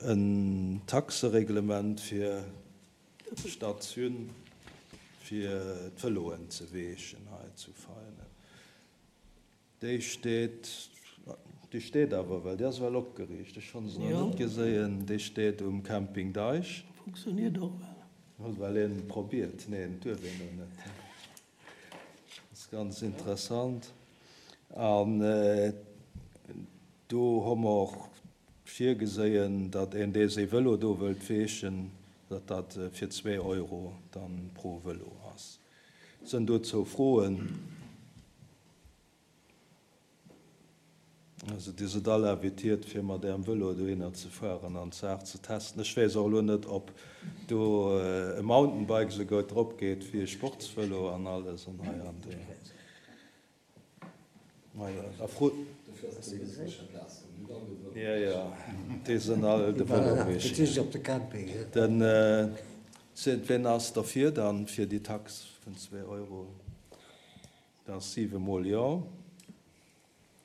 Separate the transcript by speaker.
Speaker 1: en Taxereglement fir d'Statioun fir d'Vëloen ze weechen hei zu Veianen. Déi steet, déi steet awer well, déi ass well opgeriicht, ech hunn se nach net geséien, déi steet um Camping Deich.
Speaker 2: Funktioniert och well.
Speaker 1: Huet well een probiert? Neen, duerf een do net. Ass ganz interessant. An do hu mer och virgeséien, datt een, dee séi Vëlo do wëllt weechen, datt dat fir zwee Euro dann pro Vëlo ass. Sënn dozou Froen? Also Dir sidd all invitiert fir mat Ärem Vëlo dohinner ze fueren an d'Saach ze testen. Ech weess och elo net ob do e Mountainbike esou goud drop geet wéi e Sportsvëlo an alles an hei an do. Majo, da frot. Jo, jo, déi sinn all de Vëlo weechen. Den, ween ass derfir dann fir déi Tax vun zwee Euro? Dat ass siwe mol jo.